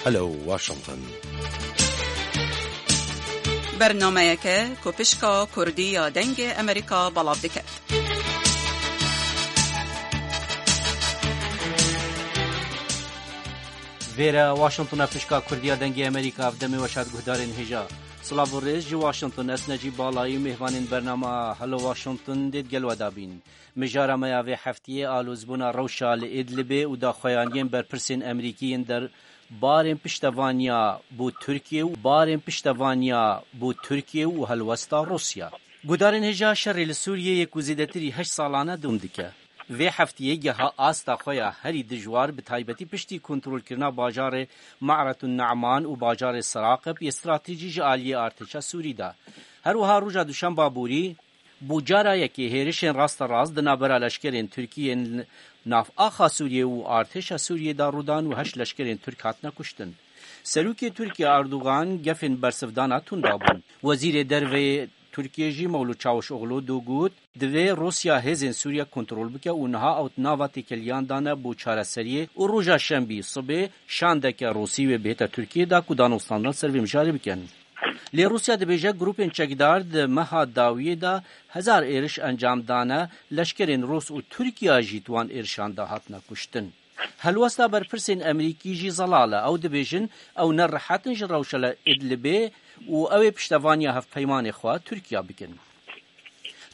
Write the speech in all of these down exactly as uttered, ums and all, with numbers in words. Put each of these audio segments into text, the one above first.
Hello Washington. Bernameyeke ku pişka Kurdî ya Dengê Amerîka belav dike. Vêre Washington e, pişka Kurdî ya Dengê Amerîka, ev demê weş hat guhdarên hêja. Silav û rêz ji Washington, ez Necîb Balayî, mêhvanên bernama Hello Washington dê digel we de bîn. Mijara me ya vê heftiyê alozbûna rewşa li Idlibê û daxuyaniyên berpirsên Amerîkî yên der barên piştevaniya bo Tirkiye û barên piştevaniya bo Tirkiye û helwesta Rûsya. Guhdarên hêja, şerê li Sûriyeyê ku zêdetirî heşt salan e dewam dike. Vê heftiyê geha asta xwe ya herî dijwar, bi taybetî piştî kontrolkirina bajarê Ma'retun Na'man û bajarê Seraqib yê stratejî ji aliyê artêşa Sûrî de. Her wiha roja duşemba borî, bo cara yekê hêrişên rasterast di navbera leşkerên Tirkî yên nav axa Sûriyê û artêşa Sûriyê de rû dan û heşt leşkerên Tirk hatine kuştin. Serokê Tirkiyê Erdogan gefên bersivdana tunda bûn. Wezîrê Derve yê Tirkiyê jî Mewlût Çavuşoglu dû got, divê Rûsya hêzên Sûriye kontrol bike û niha ew di nava têkiliyan de ne bo çareseriyê û roja şembî sibê şandeke Rûsî wê bihête Tirkiyê de ku danûstandin ser vê mijarê bikin. Lê Rûsya dibêje, grûpên çekdar di meha dawiyê de hezar êriş encam dane, leşkerên Rûs û Tirkiya jî di wan êrişan de hatine kuştin. Helwesta berpirsên Amerîkî jî zelal e. Ew dibêjin, ew ne rehet in ji rewşa li Idlibê û ew ê piştevaniya hevpeymanê xwe Tirkiya bikin.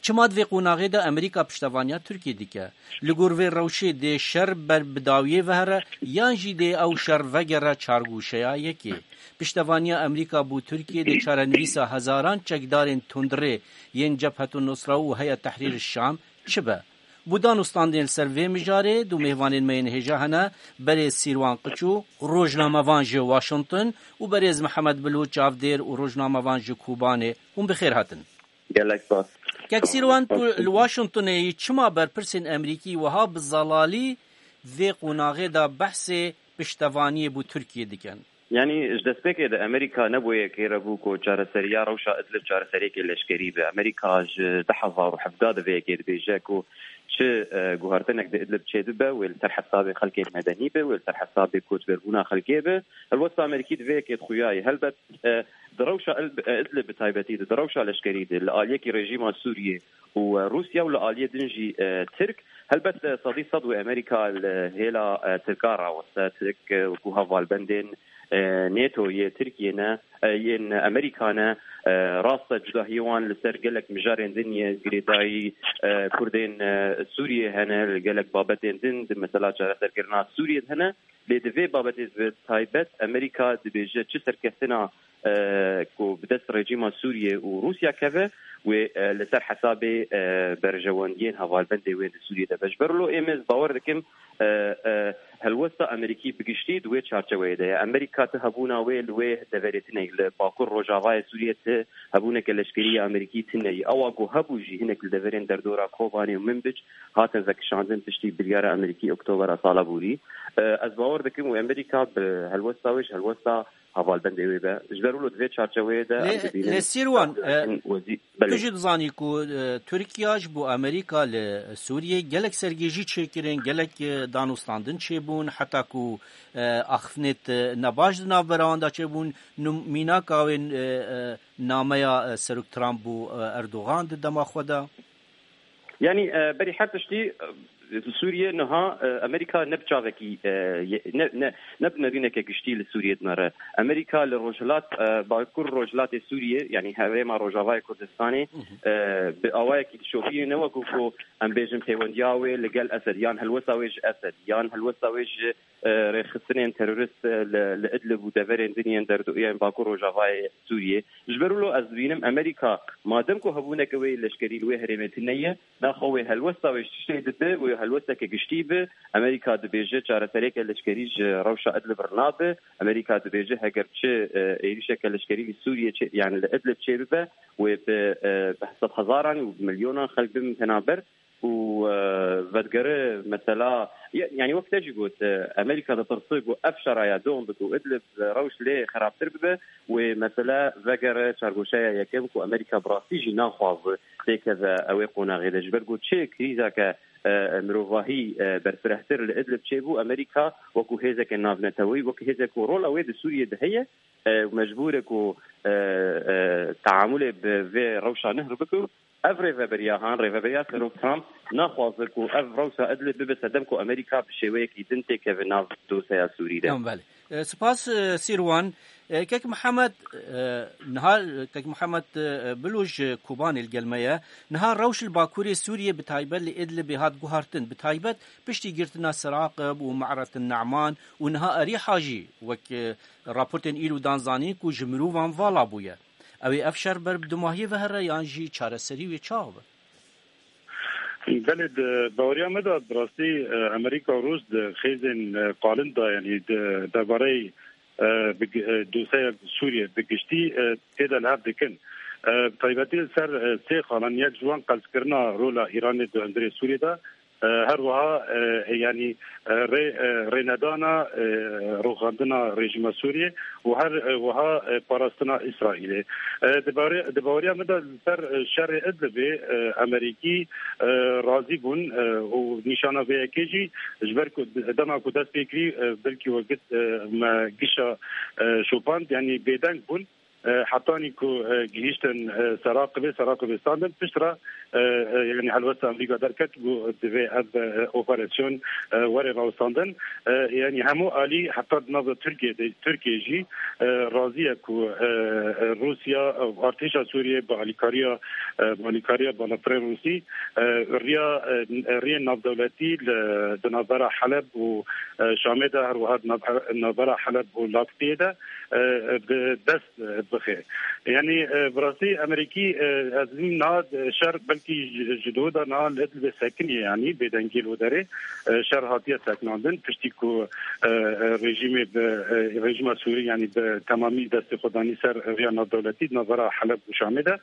Çima di vê qonaxê de Amerîka piştevaniya Tirkiyê dike? Li gor vê rewşê dê şer ber bi dawiyê ve here yan jî dê ew şer vegere çargûşeya yekê? Piştevaniya Amerîka bo Tirkiyê dê çarenivîsa hezaran çekdarên tundrê yên Cebhetu Nusra û Heyet Tehrîr Şam çi be? Bo danûstandinê li ser vê mijarê du mêvanên me yên hêja hene, berêz Sîrwan Qiçû, rojnamevan ji Washington, û berêz Mihemed Bilo, çavdêr û rojnamevan ji Kobanê. Hûn bi xêr hatin. Gelek spas. Kek Sîrwan, tu li Washingtonê yî, çima berpirsên Amerîkî wiha bi zelalî vê qonaxê de behsê piştevaniyê bo Tirkiyê dikin? Yanî ji destpêkê de Amerîka ne bo yekê re bû ku çareseriya rewşa Idlib çareseriyekê leşkerî be. Amerîka ji du hezar û hevdeh de vê yekê dibêje ku çi, e, guhertinek di Idlib çêdibe, wê li ser hesabê xelkê medenî be, wê li ser hesabê koçberbûna xelkê be. Helwesta Amerîkî di vê yekê dixuya ye. Helbet, e, di rewşa Il-, e, Idlib bi taybetî de, di rewşa leşkerî de, li aliyekî rejîma Sûriyê û, e, Rûsya û li aliyê din jî, e, Tirk, helbet, e, sedî sed wê Amerîka li hêla, e, Tirka raweste. Tirk, e, wekû hevalbendên, e, NATO yê Tirkiyê ne, e, yên Amerîka ne. E, rast e, cudahiyê wan li ser gelek mijarên din yê girêdayî, e, Kurdên, e, Sûriyê hene, li gelek babetên din di mesela çareserkirina Sûriyê de hene. Lê di vê babetê bi taybet Amerîka dibêje çi serkeftina, e, ku bi dest rejîma Sûriyê û Rûsya keve, wê, e, li ser hesabê, e, berjewendiyên hevalbendê wê di Sûriyê de be. Ji ber wilo ê me, ez bawer dikim, e, e, helwesta Amerîkî bi giştî di wê çarçeweyê de ye. Amerîka ti hebûna wê li wê deverê tune ye. Li Bakur Rojavayê Sûriyê ti hebûneke leşkerî ya Amerîkî tune ye. Ewa ku hebû jî hinek li deverên derdora Kobanê û Minbic hatin vekişandin piştî biryara Amerîkî Oktobera sala borî. E, ez bawer dikim û Amerîka bi helwesta wê ji helwesta hevalbendê wê be. Ji ber wilo di vê çarçeweyê de em Lê, dibînin lê Sîrwan, e, wezî-, tu belê. Jî dizanî ku, e, Tirkiya ji bo Amerîka li Sûriyê gelek sergêjî çêkirin, gelek, e, danûstandin çêbûn, heta ku, e, axiftinêt, e, nebaş di navbera wan de çêbûn. Num-, mînaka wê, e, e, nameya, e, Serok Trump bo, e, Erdogan di dema xwe de. Yanî, e, berî her tiştî, e, Sûriye niha, e, Amerîka ne bi çavekî, e, ye-, ne, ne, ne bi nerîneke giştî li Sûriye dinere. Amerîka li rojhilat, e, bakur rojhilatê Sûriye, yanî herêma rojavayê Kurdistanê, Hı hı. e, bi awayekî dişopîne, ne wekû ku em bêjin pêwendiya wê li gel Esed, yan helwesta wê ji Esed, yan helwesta wê ji, e, rêxistinên terorist, e, li, li Idlib û deverên din yên derdo-, yên bakur rojavayê Sûriyê. Ji ber wilo ez dibînim Amerîka, madem ku hebûneke wê leşkerî li wê herêmê tune ye, naxwe wê helwesta wê ji tiştê dibe, wê helwesteke giştî be. Amerîka dibêje çareseriyeke leşkerî ji rewşa Idlib re nabe. Amerîka dibêje heger çi, e, êrîşeke leşkerî li Sûriyê çê, yani li Idlib çê bibe, wê bi, e, bi sedhezaran û bi milyonan xelk bibin penaber. û, e, vedigere mesela, ya-, yani wek te jî got, e, Amerîka ditirse ku ev şeraya dom bike û Idlib, e, rewş lê xerabtir bibe, wê mesele vegere çargoşeya yekem ku Amerîka bi rastî jî naxwaze têkeve ew ê qonaxê de. Ji ber ku çi krîzeke, e, mirovahî, e, berfirehtir li Idlib çêbû, Amerîka wekû hêzeke navneteweyî, wekû hêzek ku rola wê di Sûriyê de heye, e, mecbûr e ku, e, e, teamulê bi vê rewşa nihr bike. Ev rêveberiya han, rêveberiya Serok Trump naxwaze ku ev rewşa Idlib bibe sedem ku Amerîka bi şêweyekî din têkeve nav dosyeya Sûrî de. Em belê. E, spas, e, Sîrwan. E, Kek Mihemed, e, niha, Kek Mihemed, e, Bilo ji Kobanê li gel me ye. Niha rewş li Bakurê Sûriyê bi taybet li Idlibê hat guhartin. Bi taybet piştî girtina Seraqib û Me'retin Ne'man û niha Erîha jî wek, e, raportên îro dan zanîn ku ji mirovan vala bûye. Ew ê ev şer ber bi dumahiyê ve here yan jî çareserî wê çawa be? Belê, di baweriya me de bi rastî, e, Amerîka û Rûs di xêzên, e, qalin de, yanî di derbareyê, e, bi gi-, e, dosyeya Sûriyê bi giştî, e, tê de li hev dikin. E, bi taybetî li ser, e, sê xalan, yek ji wan qelskirina rola Îranê di hundirê Sûriyê de, e, her wiha, e, yanî, e, rê, e, rênedana, e, rûxandina rejîma Sûriyê û her, e, wiha, e, parastina Îsraîlê. E, di baweriya, di baweriya min de li ser, e, şerê Idlibê, e, Amerîkî, e, razî bûn, e, û nîşana vê yekê jî ji ber ku d-, dema ku dest pê kirî, e, belkî we got, e, me gişa, e, şopand, yanî bêdeng bûn. E, hetanî ku, e, gihîştin, e, Seraqibê, Seraqibê standin, pişt re, e, e, yanî helwesta Amerîka derket ku divê ev, e, operasyon, e, were rawestandin. E, yanî hemû alî heta di nava Tirkiye de, Tirkiye jî, e, razî ye ku, e, e, Rûsya, e, artêşa Sûriyê bi alîkariya, e, bi alîkariya balafirê Rûsî, e, riya, e, riyên navdewletî li, di navbera Heleb û, e, Şamê de, her wiha di nav-, navbera Heleb û Lakitiyê de, e, bi dest, e, bixe. Yanî, e, bi rastî Amerîkî, e, ez dibînim niha, e, şer belkî ji, ji dû de niha li Idlibê sekiniye, yanî bêdengî li wê derê, e, şer hatiye sekinandin, piştî ku, e, e, rejîmê bi, e, rejîma Sûrî, yanî bi temamî destê xwe danî ser riya navdewletî di navbera Heleb û Şamê de.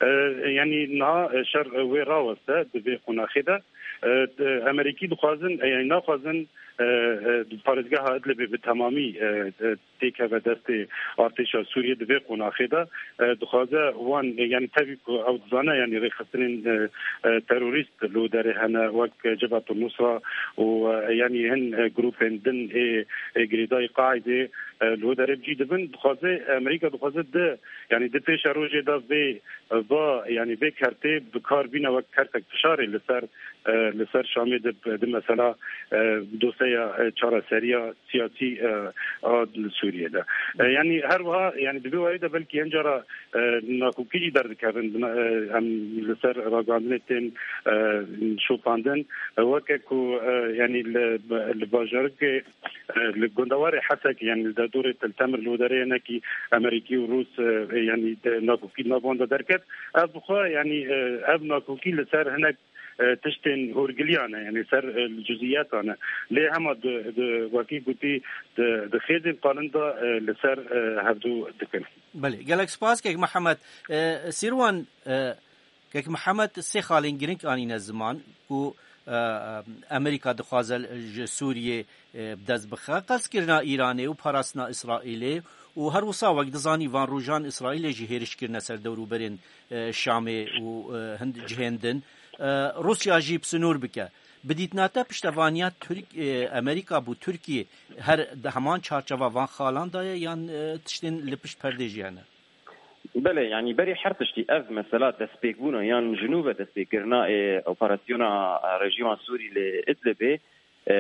E, yanî niha, e, şer, e, wê raweste di vê qonaxê de. E, e, Amerîkî dixwazin, e, yanî naxwazin, e, e, parêzgeha Idlibê bi temamî, e, e, têkeve destê artêşa Sûriyê di vê qonaxê de, e, dixwaze wan, e, yanî tevî ku ew dizane, yanî rêxistinên, e, e, terorîst li wê derê hene, wek Cebhetul Nusra û, e, yanî hin, e, grûpên din ê, ê girêdayî Qaîdê, e, li wê derê bi cî dibin. Dixwaze, Amerîka dixwaze di, yanî di pêşerojê de vê, e, va, yanî vê kertê bi kar bîne wek kertek fişarê li ser, e, li ser Şamê di, di mesela, e, dosyeya, e, çareseriya siyasî, e, a li Sûriyê de. E, yanî her wiha, yanî di vê warî de belkî hin cara, e, nakokî jî derdikevin, e, em li ser ragihandinê tên, e, şopandin. E, weke ku, e, yanî li, li bajarikê, e, li gundewarê Hesekê, yanî li derdorê Til Temir li wê derê hinekî Amerîkî û Rûs, e, yanî de nakokî di nav wan de derket. Ev bi xwe, yanî, e, ev nakokî li ser hinek e, tiştên hûrgiliyan e, yanî ser, e, cuzîyetan e. Lê hema di, di, wekî gotî, di, di xêzên qalin de, e, li ser, e, hevdû dikin. Belê, gelek spas, Kek Mihemed. E, Sîrwan, e, Kek Mihemed sê xalên girîng anîne ziman ku, e, Amerîka dixwaze ji Sûriyê, e, bi dest bixe. Qelskirina Îranê û parastina Îsraîlê û her wisa wek dizanî van rojan Îsraîlê jî hêriş kirine ser dewrûberên, e, Şamê û, e, hin cihên din. E, Rûsya jî bi sinûr bike. Bi dîtina te piştevaniya Tirk-, e, Amerîka bo Tirkiyê her di heman çarçeva van xalan de ye yan, e, tiştên li pişt perdê jî hene? Belê, yanî berî her tiştî ev mesela destpêkbûna yan ji nû ve destpêkirina, e, operasyona, e, rejîma Sûrî li Idlibê, e,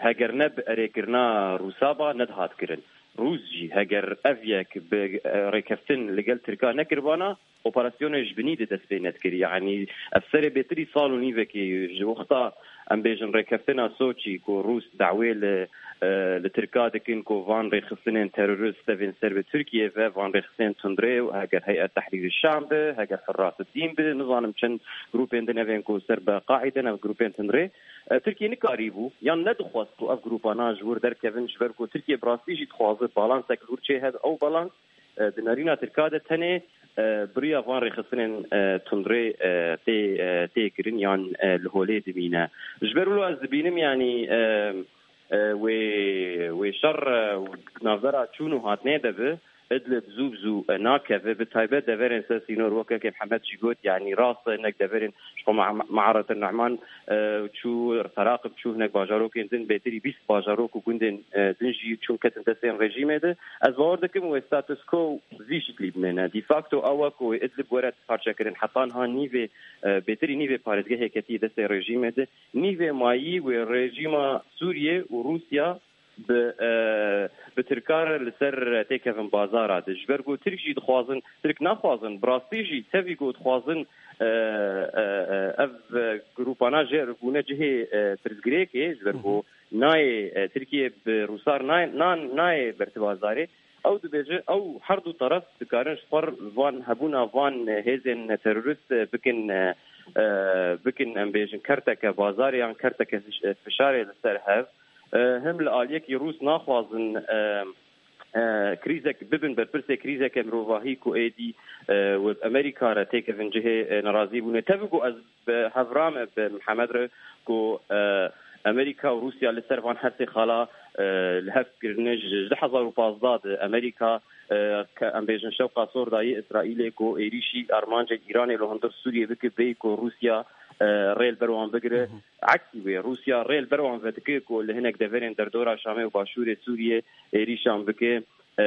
heger ne bi erêkirina Rûsa ba, nedihat kirin. Rûs jî heger ev yek bi, e, rêkeftin li gel Tirka nekiribana, operasyonê ji binî de dest pê nedikirî. Yanî ev serê bêtirî sal û nîvekê ji wexta, em bêjin, rêkeftina Soçî ku Rûs dawê li, e, li Tirka dikin ku van rêxistinên terorist tevên ser bi Tirkiye ve, van rêxistinên tundrê û heger Heyet Tehrîrî Şam bi, heger Hurras Dîn bi, nizanim çend grûpên din evên ku ser bi Qaîde ne, grûpên tundrê. E, Tirkiye nikarîbû yan nedixwest ku ev grûpana ji wir derkevin, ji ber ku Tirkiye bi rastî jî dixwaze balansek li wir çêhebe. Ew balans, e, di nerîna Tirka de tenê e, bi riya van rêxistinên, e, tundrê, e, tê, e, tê kirin yan, e, li holê dimîne. Ji ber wilo ez dibînim, yanî, e, e, wê, wê şer, e, navbera çûn û hatinê de bi, Idlib zû bi zû, e, nakeve, bi taybet deverên ser sînor, weke ke Mihemed jî got, yanî rast e, hinek deverên ji xwe Ma-, Me'aretin Nehman, e, çû, Teraqib çû, hinek bajarokên din, bêtirî bîst bajarok û gundên, e, din jî çûn ketin destên rejîmê de. Ez bawer dikim wê status quo vî şiklî bimêne. De facto ew e ku wê Idlib were parçekirin. Heta niha nîvê, e, bêtirî nîvê parêzgehê ketiye destê rejîmê de. Nîvê mayî wê rejîma Sûriyê û Rûsya bi, e, bi Tirka re li ser têkevin bazara de. Ji ber ku Tirk jî dixwazin, Tirk naxwazin, bi rastî jî tevî ku dixwazin, e, e, e, ev, e, grûpana jê re bûne cihê, e, pirsgirêkê, ji ber ku nayê, e, Tirkiye bi Rûsar nayê, nan-, nayê berti bazarê. Ew dibêje, ew her du teref dikarin ji xwe re van hebûna van hêzên terorîst, e, bikin, e, e, bikin, em bêjin, kerteke bazarê yan kerteke fiş-, e, fişarê li ser hev. E, him li aliyekî Rûs naxwazin, e, e, krîzek bibin berpirsê krîzeke mirovahî ku êdî, e, wek Amerîka re têkevin cihê, e, nerazîbûnê. Tevî ku ez bi hevra me, bi Mihemed re ku, e, Amerîka û Rûsya li ser van her sê xala, e, li hev kirine. Ji du hezar û pazdeh de Amerîka, e, ke em bêjin şewqa sor dayî Îsraîlê ku êrîşî armancên Îranê li hundir Sûriyê bike, bêyî ku Rûsya, e, rê li ber wan bigire. Eksî wê, Rûsya rê li ber wan vedike ku li hinek deverên derdora Şamê û başûrê Sûriyê êrîşan bike. E,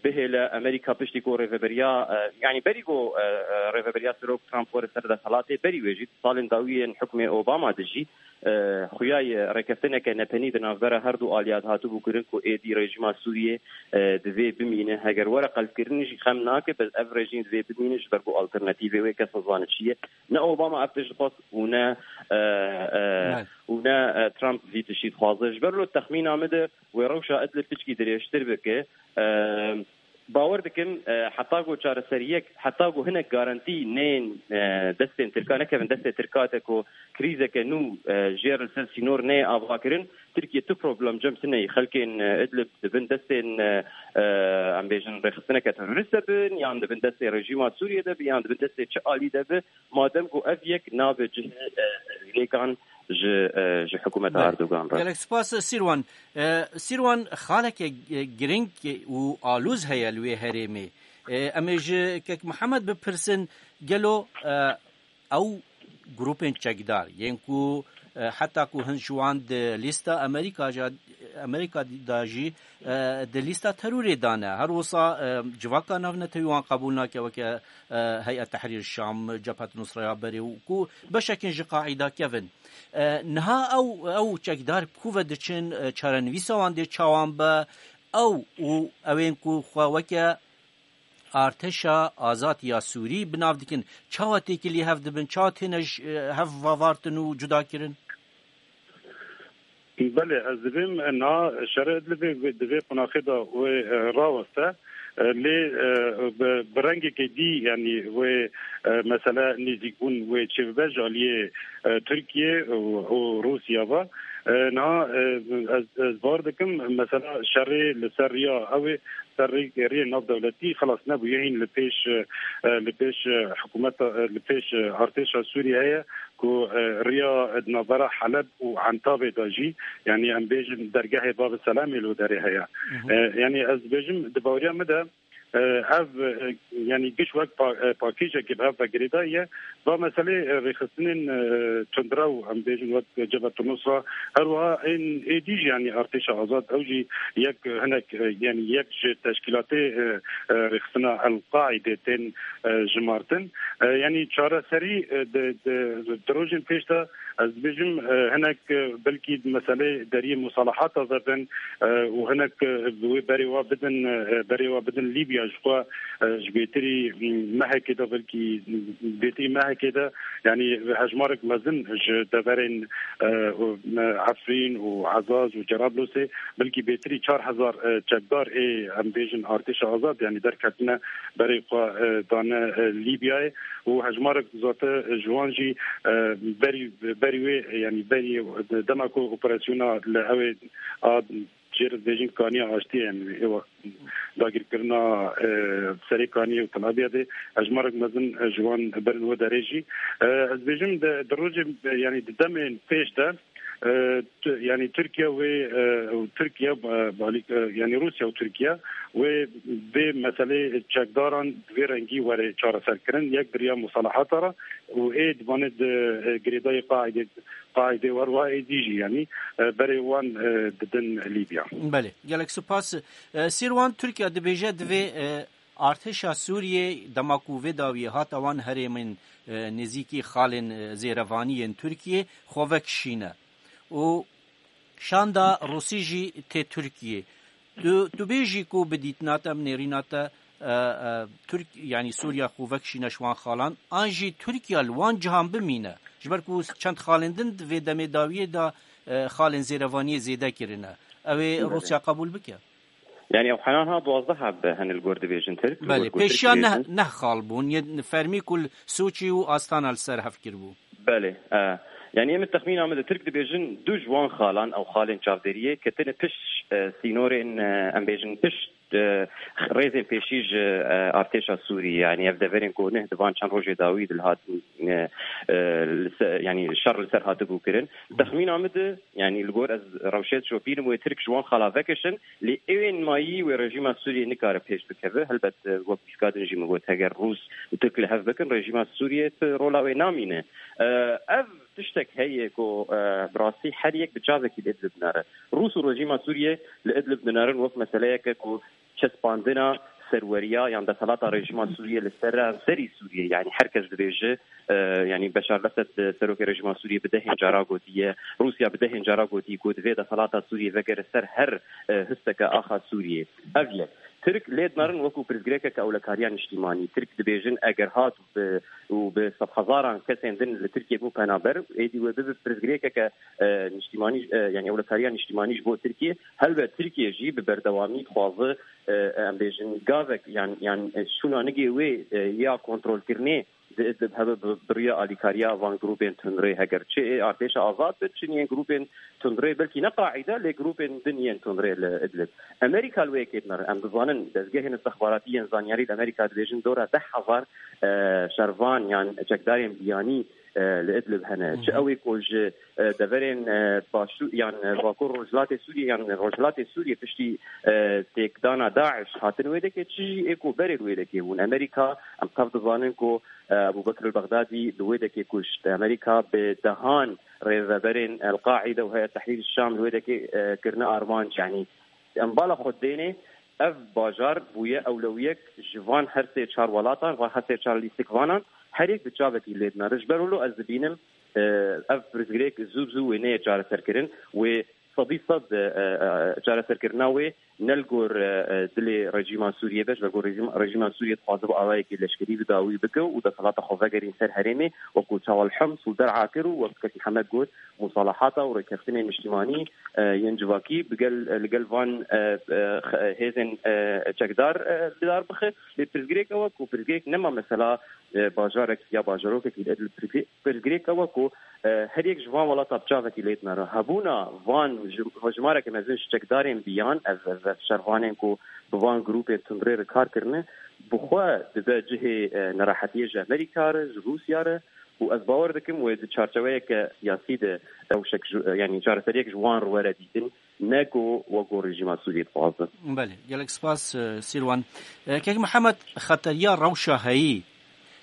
bihêle Amerîka piştî ku rêveberiya, e, yanî berî ku, e, e, rêveberiya Serok Trump were ser desthilatê, berî wê jî di salên dawiyên hukmê Obama de jî, e, xuya ye rêkeftineke nepenî di navbera her du aliya de hatibû kirin ku êdî rejîma Sûriyê, e, divê bimîne. Heger were qelbkirin jî xem nake, bes ev rejîm divê bimîne, ji ber ku alternatîvê wê kes nizane çi ye. Ne Obama ev tişt dixwest û ne, e, e, û ne, e, Trump vî tiştî dixwaze. Ji ber lo texmîna min de wê rewşa Idlib piçkî dirêjtir bike. E, bawer dikim, e, heta ku çareseriyek, heta ku hinek garantî nên, e, destên Tirka, nekevin destê Tirka de ku krîzeke nû, e, jê re li ser sînor neyê avakirin, Tirkiye tu problem cem tune ye. Xelkên, e, Idlib di bin destên, e, e, em bêjin rêxistineke terorîst de bin, yan di bin destê rejîma Sûriyê de bin, yan di bin destê çi alî de bi, madem ku ev yek nabe cihê, e, lêkan ji, e, ji hikûmeta Erdogan re. Gelek spas, Sîrwan. E, Sîrwan, xaleke, e, giring û alûz heye li wê herêmê. E, em ê ji Kek Mihemed bipirsin, gelo, e, ew grûpên çekdar yên ku, e, heta ku hin ji wan di lîsta Amerîka jî, Amerîka da jî, e, di lîsta terorê de ne. Her wisa, e, civaka navnetewî wan qebûl nake weke, e, Heyet Tehrîr Şam, Cebhet Nusra ya berê û ku beşekên ji Qaîda kevin. E, niha ew, ew çekdar bi ku ve diçin, e, çarenivîsa wan dê çawan be, ew û ewên ku xwe weke Artêşa Azad ya Sûrî bi nav dikin. Çawa têkilî hev dibin? Çawa têne ji, e, hev vavartin û cuda kirin? Belê, ez dibêm, e, na şerê Idlibê di vê qonaxê de wê, e, raweste. E, lê, e, bi, bi rengekê dî, yanî wê, e, mesele nêzîkbûn wê çêbibe ji aliyê, e, Tirkiye û, û Rûsya ve. E, niha, e, ez, ez bawer dikim, mesela şerê li ser riya ew ê ser rê-, riyê navdewletî xilas nebûye. Hîn li pêş, e, li pêş, e, hikûmeta, e, li pêş, e, artêşa Sûriyeyê ku, e, riya di navbera Heleb û Entabê de jî, yanî em bêjin dergehê Bab Selamê li derê heye. E, yanî ez dibêjim, di baweriya min de, e, ev, e, yanî giş wek pa-, e, pakêjekê bi hev ve girêdayî ye. Va meselê, e, rêxistinên, e, tundrew, em bêjin wek Cebhet Nusra, her wiha ên êdî jî, yanî Artêşa Azad, ew jî yek, e, hinek, e, yanî yek ji teşkîlatê, e, e, rêxistina El-Qaîdê tên, e, jimartin. E, yanî çareserî, e, di, di, di rojên pêş de ez dibêjim, e, hinek, e, belkî meselê deriyê musalahata vebin, e, û hinek, e, wê berê wa bidin, e, berê wa bidin Lîbya ji xwe, e, ji bêtirî, m, mehekê de, belkî bêtirî mehekê de, yanî hejmarek mezin ji deverên, e, û, e, Efrîn û Ezaz û Cerablûsê, belkî bêtirî çar hezar, e, çekdar ê, em bêjin, Artêşa Azad, yanî derketine berê xwe, e, dane, e, Lîbyayê û hejmarek zate ji wan jî, e, berî, berî wê, yanî berî dema ku operasyona li ew ê a jê re dibêjin kaniya aştiyê, em ê wext dagirkirina, e, serê kaniyê û Tel Abyadê, hejmarek mezin, e, ji wan berin wê derê jî. E, ez dibêjim di, di rojê, e, yanî di demên pêş de, e, tu-, yanî Tirkiye wê, e, û Tirkiye, e, balî-, e, yanî Rûsya û Tirkiye wê vê meselê çekdaran bi vê rengî were çareserkirin, yek bi riya musalahata re û ê divanê di, e, girêdayî qaîdê, qaîdê wer wa êdî jî, yanî, e, berê wan, e, didin Lîbya. Belê, gelek spas. E, Sîrwan, Tirkiye dibêje divê, e, artêşa Sûriyê dema ku vê dawiyê hate wan herêmên, e, nêzîkî xalên, e, zêrevanî yên Tirkiyê xwe vekişîne. Û şanda Rûsî jî tê Tirkiyê. Tu, tu bêjî ku bi dîtina te, bi nêrîna te, e, e, Tirk-, yanî Sûriya xwe vekişîne ji wan xalan, an jî Tirkiye li wan cihan bimîne. Ji ber ku çend xalên din di vê demê dawiyê de, e, xalên zêrevaniyê zêde kirine. Ew ê Belê. Rûsya qebûl bike? Yani ew henan ha duwazdeh heb hene li gor dibêjin Tirk, li Belê, gor ku Tirk pêşiya neh, dibêjin. Neh xal bûn, yê fermî ku li Sûçî û Astana li ser hev kiribû. Belê. E, yani em texmîna min de Tirk dibêjin du ji wan xalan, ew xalên çavdêriyê ketine pişt, e, sînorên, e, em bêjin pişt, e, rêzên pêşî ji, e, artêşa Sûrî. Yani ev deverên ku neh di van çend rojê dawî de li hatin, e, e, li ser, yani şer li ser hatibû kirin. Texmîna min de, yani li gor ez rewşê dişopînim wê Tirk ji wan xala vekişin, lê ewên mayî wê rejîma Sûriyê nikare pêş bikeve. Helbet, e, wek pîska din jî min got, heger Rûs û Tirk li hev bikin, rejîma Sûriyê ti rola wê namîne. E, ev tiştek heye ku, e, bi rastî her yek bi çavekî li Idlib dinere. Rûs û rejîma Sûriyê li Idlib dinerin wek meseleyeke ku çespandina serweriya yan desalata rejîma Sûriyê li seranserî Sûriyê, yani her kes dibêje, e, yani Beşar Lesed, e, serokê rejîma Sûriyê bi dehên cara gotiye, Rûsya bi dehên cara gotiye ku divê desalata Sûriyê vegere ser her, e, histeke axa Sûriyê. Ev yek. Tirk lê dinerin wekû pirsgirêkeke ewlekariya niştîmanî. Tirk dibêjin eger hat û bi, û bi sedhezaran kesên din li Tirkiyê bû penaber, êdî wê bibe pirsgirêkeke, e, niştîmanî, e, yani ewlekariya niştîmanî ji bo Tirkiyê. Helbet Tirkiye jî bi berdewamî dixwaze, e, em bêjin gavek yan, yan, e, şûna nigê wê, e, ya kontrolkirinê di Idlib hebe bi, bi riya alîkariya van grûpên tundrê, heger çi ê artêşa azad bi, çi yên grûpên tundrê, belkî ne qaîde, lê grûpên din yên tundrê li Idlib. Amerîka li wê yekê dinere. Em dizanin dezgehên istixbaratî yên zanyarî li Amerîka dibêjin dora deh hezar, e, şervan yan çekdarên biyanî, e, li Idlib hene. Çi Hı hı. ew ê ku ji, e, deverên, e, başû-, yan, e, Bakur Rojhilatê Sûriyê yan Rojhilatê Sûriyê piştî, e, têkdana DAIŞ hatin wê dekê, çi jî ê ku berê li wê dekê bûn. Amerîka, em tev dizanin ku, e, Ebû Bekir el-Bexdadî li wê dekê kuşt. Amerîka bi dehan rêveberên El-Qaîde û Heyet Tehrîr Şam li wê dekê, e, kirine armanc. Yanî em bala xwe dênê, ev bajar bûye ewlewiyek ji van her sê çar welatan, van her sê çar lîstikvanan, her yek bi çavekî lê dinere. Ji ber wilo ez dibînim, e, ev pirsgirêk zû bi zû wê neyê çareserkirin, wê sedî sed, e, e, çareserkirina wê ne li gor, e, e, dilê rejîma Sûriyê be, ji ber ku rejîm-, rejîma Sûriyê dixwaze bi awayekî leşkerî bi dawî bike û desthilata xwe vegerîn ser herêmê, wekû çawa li Hims û Der'a kir û wek kekî Hemed got, musalahata û rêkeftinên niştimanî, e, yên civakî bi gel, li gel van, e, e, xe-, hêzên, e, çekdar, e, li dar bixe. Lê pirsgirêk ew e ku pirsgirêk nema mesela, e, bajarek ya bajarokekî li Idlib. Pirsgirêk, pirsgirêk ew e ku, e, her yek ji van welata bi çavekî lê dinere. Hebûna van ji-, jimareke mezin ji çekdarên biyan, ev, ev, ev şervanên ku bi van grûpên tundrê re kar kirine, bi xwe dibe cihê, e, nerehetiyê ji Amerîka re, ji Rûsya re û ez bawer dikim wê di çarçeweyeke siyasî de rewşek ji, e, yanî çareseriyek ji wan re were dîtin, ne ku wek ku rejîma Sûriyê dixwaze. Belê, gelek spas, e, Sîrwan. E, Kek Mihemed, xeteriya rewşa heyî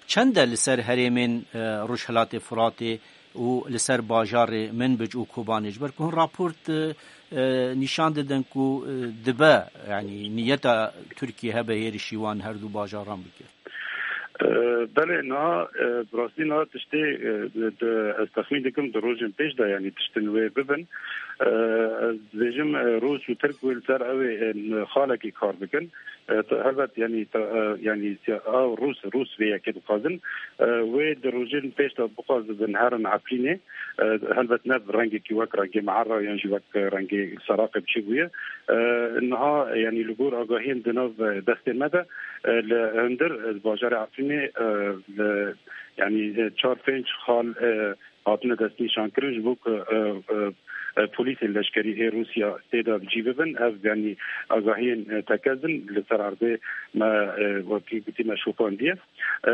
çend e li ser herêmên, e, Rojhilatê Furatê û li ser bajarê Minbic û Kobanê? Ji ber ku hin raport, e, e, nîşan didin ku, e, dibe, yanî niyeta Tirkiyê hebe hêrişî wan her du bajaran bike. E, belê, niha, e, bi rastî niha tiştê, e, di, di, ez texmîn dikim di rojên pêş de, yanî tiştin wê bibin. E, ez dibêjim, e, Rûs û Tirk wê li ser ew ê, e, xalekî kar bikin. E, te-, helbet, yanî, te-, e, yanî, siya-, ew Rûs, Rûs vê yekê dixwazin. E, wê di rojên pêş de bixwazibin herin Efrînê. E, helbet ne bi rengekî wek rengê Meherra yan jî wek rengê Seraqê biçî bûye. E, niha, yanî, li gor agahiyên di nav, e, destê me de, e, li hundir, e, bajarê Efrînê, e, li, yanî, e, çar pênc xal, e, hatine destnîşankirin, ji bo ku, e, e, e, polîsên leşkerî ê Rûsya tê de bi cî bibin. Ev, yanî, agahiyên, e, tekez in li ser erdê me, e, wekî gotî me şopandiye. E,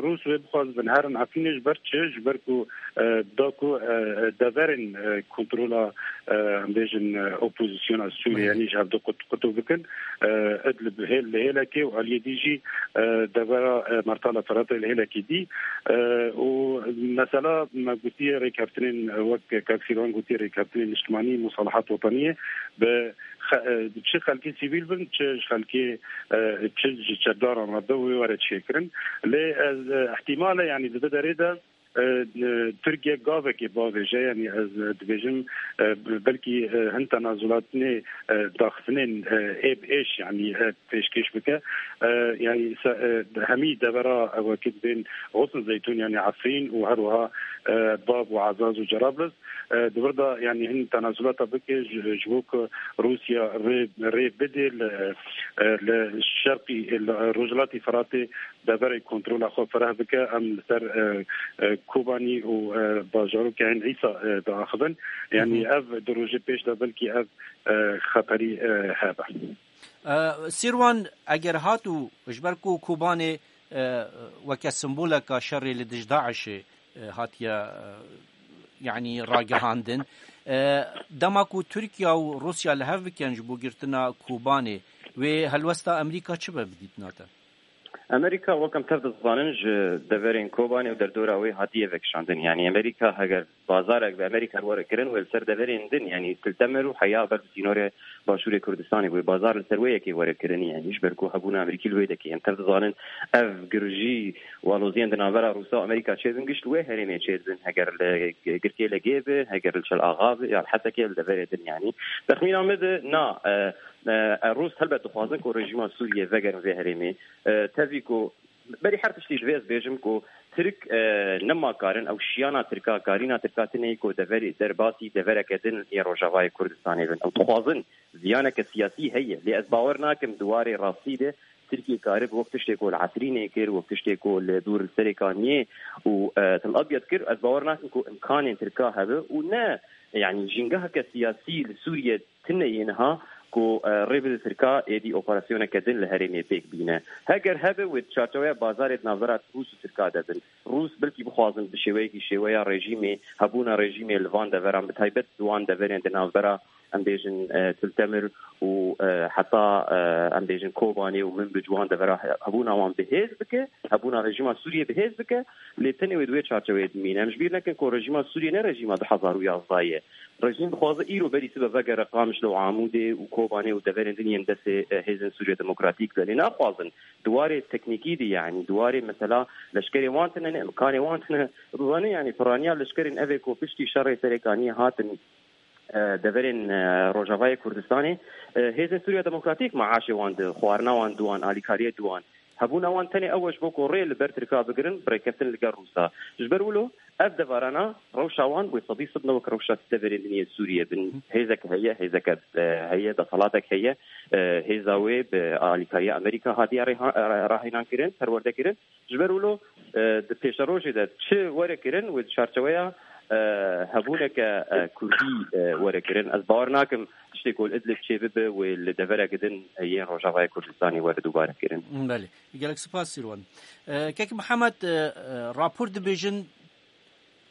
Rûs wê bixwazibin herin Efrînê ji ber çi? Ji ber ku, e, da ku, e, deverên, e, kontrola, e, em bêjin, e, opozisyona Sûriyê, Belê. yanî ji hevdu qut-, qutû bikin. E, Idlib hêl-, li hêlekê û aliyê dî jî, e, devera, e, Mertala Firatê li hêlekê dî. E, û mesela me gotiye rêkeftinên, e, wek Kak Sîrwan gotiye rêkeftinên niştimanî, musalahat wetaniyê bi xe-, e, çi xelkê sivîl bin, çi ji xelkê, e, çi ji çekdaran re bin, wê were çêkirin. Lê ez, e, ihtimal e, yanî di vê derê de, e, e, Tirkiye gavekê bavêje, yanî ez, e, dibêjim, e, belkî, e, hin tenazulatnê, e, daxistinên, e, ê bi êş, yanî, e, pêşkêş bike. E, yanî se-, e, hemî devera, e, wekî dibên Xosn Zeytûn, yanî Efrîn û her wiha, e, Bab û Ezaz û Cerablus. E, di vir de, yanî, hin tenazulata bike ji, ji bo ku Rûsya rê, rê bidê li, e, li şerqî, li rojhilatî Firatê deverê kontrola xwe fireh bike. Em li ser, e, e, Kobanî û, e, bajarokê Eyn Îsa, e, diaxivin. Yanî, Hı hı. ev du rojê pêş de belkî ev, e, xeterî, e, hebe. E, Sîrwan, eger hat û ji ber ku Kobanê, e, weke simboleka şerê li dij DAIŞê, e, hatiye, e, yanî ragihandin. E, dema ku Tirkiye û Rûsya li hev bikin ji bo girtina Kobanê, wê helwesta Amerîka çi be bi dîtina te? Amerîka, wek em tev dizanin, ji deverên Kobanê û derdora wê hatiye vekişandin. Yanî Amerîka heger bazarek bi Amerîka were kirin, wê li ser deverên din, yanî Til Temer û heya ber bi sînorê Başûrê Kurdistanê, wê bazar li ser wê yekê were kirin, yanî ji ber ku hebûna Amerîkî li wê dekê. Em tev dizanin, ev girjî û aloziyên di navbera Rûsya û Amerîka çêdin, giş li wê herêmê çêdibin, heger li Girkê Legê be, heger li Çel Axa be, ya li Hesekê, li deverê din, yanî. Texmîna min de na, e, e, e, Rûs helbet dixwazin ku rejîma Sûriyê vegerin vê herêmê. E, tevî ku berî her tiştî divê ez bêjim ku Tirk, e, nema karin, ew şiyana Tirka, karîna Tirka tune ye ku deverê derbasî devereke din yê Rojavayê Kurdistanê bin. Ew dixwazin ziyaneke siyasî heye, lê ez bawer nakim di warê rastî de Tirkiye karibe wek tiştê ku li Efrînê kir, wek tiştê ku li dûr li Serê Kaniyê û, e, Til Abyad kir, ez bawer nakim ku imkanên Tirka hebe û ne, yanî jîngeheke siyasî li Sûriye tune yê niha ku, e, rê bide Tirka êdî operasyoneke din li herêmê pêk bîne. Heger hebe, wê di çarçoveya bazarê di navbera Rûs û Tirka de bin. Rûs belkî bixwazin bi şêweyekî şêweya rejîmê, hebûna rejîmê li van deveran, bi taybet di wan deverên di navbera, em bêjin, e, Til Temir û, e, heta, e, em bêjin Kobanê û Minbic, wan devera he-, hebûna wan bi hêz bike, hebûna rejîma Sûriyê bi hêz bike, lê tenê wê di wê çarçoveyê dimîne. Em ji bîr nekin ku rejîma Sûriyê ne rejîma du hezar û yazdeh ye. Rejîm dixwaze îro berî sibe vegere Qamişlo û Amûdê û Kobanê û deverên din yên destê, e, hêzên Sûriye Demokratîk de. Lê naxwazin di warê teknîkî de, yanî di warê mesela leşkerê wan tune ne, imkanê wan tune. Dizane, yanî piraniya leşkerên evê ku piştî şerê Serê Kaniyê hatin, e, deverên, e, Rojavayê Kurdistanê, e, hêzên Sûriya Demokratîk maaşê wan di, xwarina wan di wan, alîkariyê di wan. Hebûna wan tenê ew e ji bo ku rê li ber Tirka bigirin, bi rêkeftin li gel Rûsa. Ji ber wilo, ev deverana rewşa wan wê sedî sed ne wek rewşa deverên din yên Sûriyê bin. Hêzek heye, hêzeke, e, heye, desthilatek heye, e, hêza wê bi alîkariya Amerîka hatiye rêha-, e, rahênan kirin, perwerde kirin. Ji ber wilo, e, di pêşerojê de çi were kirin, wê di çarçeweya, e, hebûneke, e, kurdî, e, were kirin. Ez bawer nakim tiştê ku li Idlib çêbibe, wê li devereke din, e, yên Rojavayê Kurdistanê were dubare kirin. Belê. Gelek spas, Sîrwan. E, Kek Mihemed, e, e, rapor dibêjin,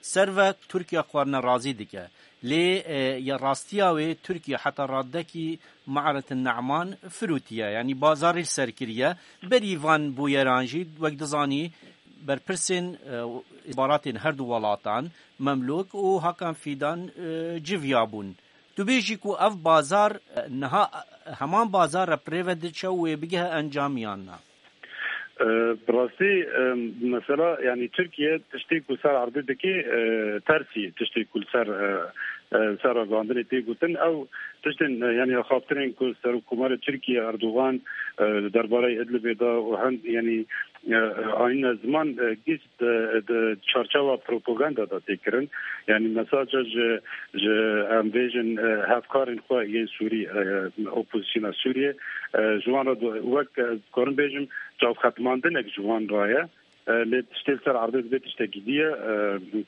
Ser ve Tirkiye xwarina razî dike. Lê, e, ya rastiya wê Tirkiye heta radekî Me'retin Ne'man firûtiye, yanî bazarê li ser kiriye. Berî van bûyeran jî, wek dizanî, berpirsên, e, îstixbaratên her du welatan, Memlûk û Hakan Fîdan, e, civiya bûn. Tu bêjî ku ev bazar, e, niha, e, heman bazar re bi rê ve diçe û wê bigihe encam yan na? E, bi rastî, e, mesela, yanî Tirkiye tiştê ku ser erdê dike, e, tersî tiştê ku li ser, e, e, ser ragihandinê tê gotin, ew tiştên, e, yanî axaftinên ku Serokkomarê Tirkiye Erdogan, e, li derbarê Idlibê da û hend, yanî, e, e, anîne ziman, e, giş di, di çarçewa propaganda de tê kirin. Yanî mesaja ji, ji, em bêjin, e, hevkarên xwe yên Sûrî, e, opozisyona Sûriyê, e, ji wan re do-, wek, e, dikarim bêjim, çavxetmandinek ji wan re ye. E, lê tiştê li ser erdê dibê tiştekî dî ye. E,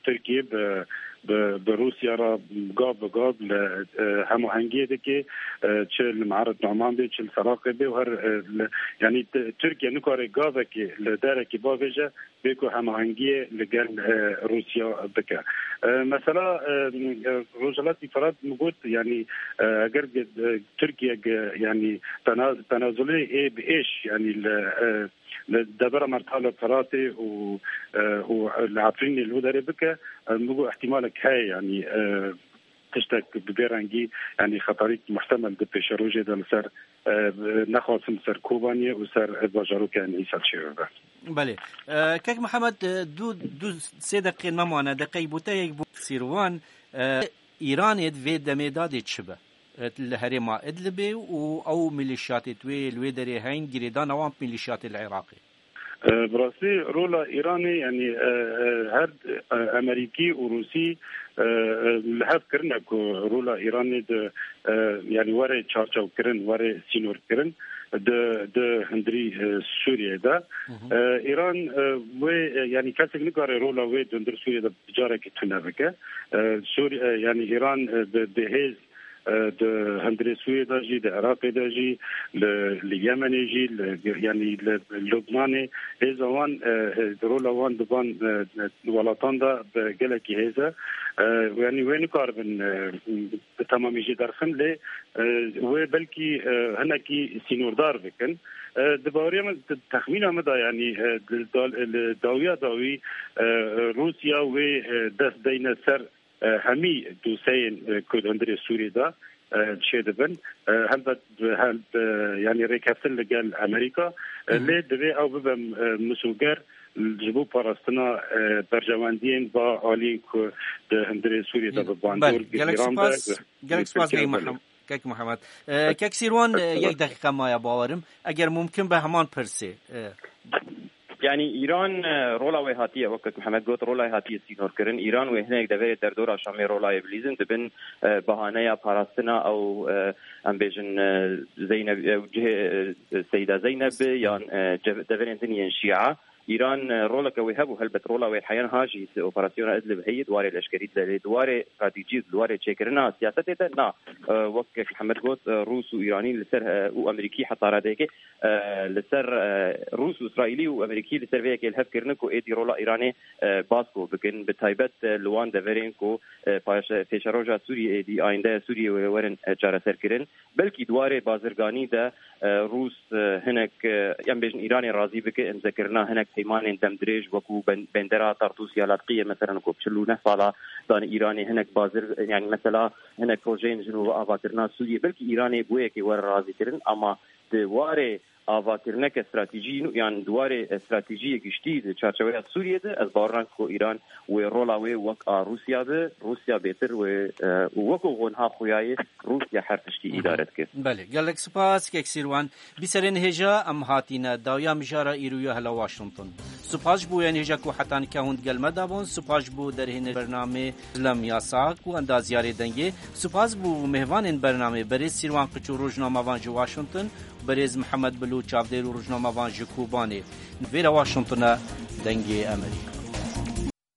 Tirkiye bi bi, bi Rûsya re gav bi gav li, e, hemahengiyê dike, e, çi li Me'arid Numan bê, çi li Seraqê bê û her, e, li, yanî t-, Tirkiye nikare gavekê li derekî bavêje bê ku hemahengiyê li gel, e, Rûsya bike. E, mesela, e, e, Rojhilatî Firat min got, yanî, e, eger, e, Tirkiye, e, yanî tena-, tenazulê ê bi êş, yanî li, e, li devera Mertala Firatê û, e, û li Efrînê li wê derê bike, e, min got ihtimalek heye, yanî, e, tiştek bi vê rengî, yanî xeterîk muhtemel di pêşerojê de li ser, e, nexasim ser Kobaniyê û ser, e, bajarokên Îsel çêbibe. Belê. E, Kek Mihemed, e, du, du sê deqê me mane, deqeyek bû te, yek bû Sîrwan. E, Îranê di vê demê de dê çi be? E, li herêma Idlibê û ew milîşyatê di wê, li wê derê heyn, girêdana wan bi milîşyatê li Iraqê. E, bi rastî rola Îranê, yanî, e, e, her, e, Amerîkî û Rûsî, e, e, li hev kirine ku rola Îranê di, e, yanî were çarçewkirin, were sînorkirin di, di hundirî, e, Sûriyê de. Hı hı. E, Îran, e, wê, e, yanî kesek nikare rola wê di hundir Sûriyê de carekî tune bike. E, Sûri-, e, yanî Îran, e, bi, bi hêz, e, di hundirê Sûriyê de jî, di Iraqê de jî, li, li Yemenê jî, li, yanî li Lubnanê hêza wan, e, e, rola wan di van, e, e, welatan de bi gelekî hêz e. E, yanî wê nikaribin, e, bi temamî jî derxin, lê, e, wê belkî, e, hinekî sînordar bikin. E, di baweriya min, di texmîna min de, yanî, e, di dal-, li dawiya dawî, e, Rûsya wê, e, dest deyne ser, e, hemî doseyên, e, ku di hundirê Sûriyê de, e, çêdibin. E, helbet, hel-, e, yanî rêkeftin li gel Amerîka, e, Hı hı. lê divê ew bibe, e, misoger ji bo parastina, e, berjewendiyên va aliyên ku di hundirê Sûriyê de bi bandor Belê, gelek girîran be, spas, bi gelek spas Tirkiye Bey belê. Muhem-, Kek Muhammed. E, Kek Sîrwan, e, Estağfurullah. Yek deqîqe maye bawerim. Eger mumkin be heman pirsê. E. Yanî Îran, e, rola wê hatiye, wek Kek Muhammed got, rola wê hatiye sînorkirin. Îran wê hinek deverê derdora Şamê rola wê bilîzin, dibin, e, bahaneya parastina ew, e, em bêjin, e, Zeyneb, e, cihê, e, Seyda Zeyneb bi, yan, e, cev-, deverên din yên Şîa. Îran, e, roleke wê hebû, helbet rola wê heyan ha jî di operasyona Idlib heye, di warê leşkerî de, lê di warê stratejî, di warê çêkirina siyasetê de na. E, wek Kek Mihemed got, e, Rûs û Îranî li ser, e, û Amerîkî heta radeyekê, e, li ser, e, Rûs û Îsraîlî û Amerîkî li ser vê yekê li hev kirine ku êdî rola Îranê, e, basko bikin, bi taybet, e, li wan deverên ku, e, paşe-, pêşeroja Sûriyê êdî, ayîndeya Sûriyê wê werin, e, çareserkirin. Belkî di warê bazirganî de, e, Rûs, e, hinek, e, em bêjin Îranê razî bike, îmzekirina hinek peymanên demdirêj wekû ben-, bendera Tartûsya Latqiyê, meselen, ku çil û neh sala dane Îranê, hinek bazir, yanî mesela hinek projeyên ji nû avakirina Sûriyê, belkî Îranê bi wê yekê were razîkirin, ama di warê avakirineke stratejî yan di warê, e, stratejiyê giştî di çarçeweya Sûriyê de, ez bawer nakim ku Îran wê rola wê wek a Rûsya be, Rûsya bêtir wê, e, û wekû xwe niha xuya ye, Rûsya her tiştî Hı hı. îdare dike. Belê, gelek spas, Kek Sîrwan. Bîserên hêja, em hatîne dawiya mijara îroya hela Washington. Spas ji bo yan hêja ku heta nika hûn digel me de bûn, spas ji bo derhêner bernamê Zilem Yasak û endaziyarê dengê. Spas ji bo mêvanên bernamê, berêz Sîrwan Qiçû, rojnamevan ji Washington, berêz Mihemed Bilo, çavdêr û rojnamevan ji Kobanê. Vêra Washington e, Dengê Amerîka.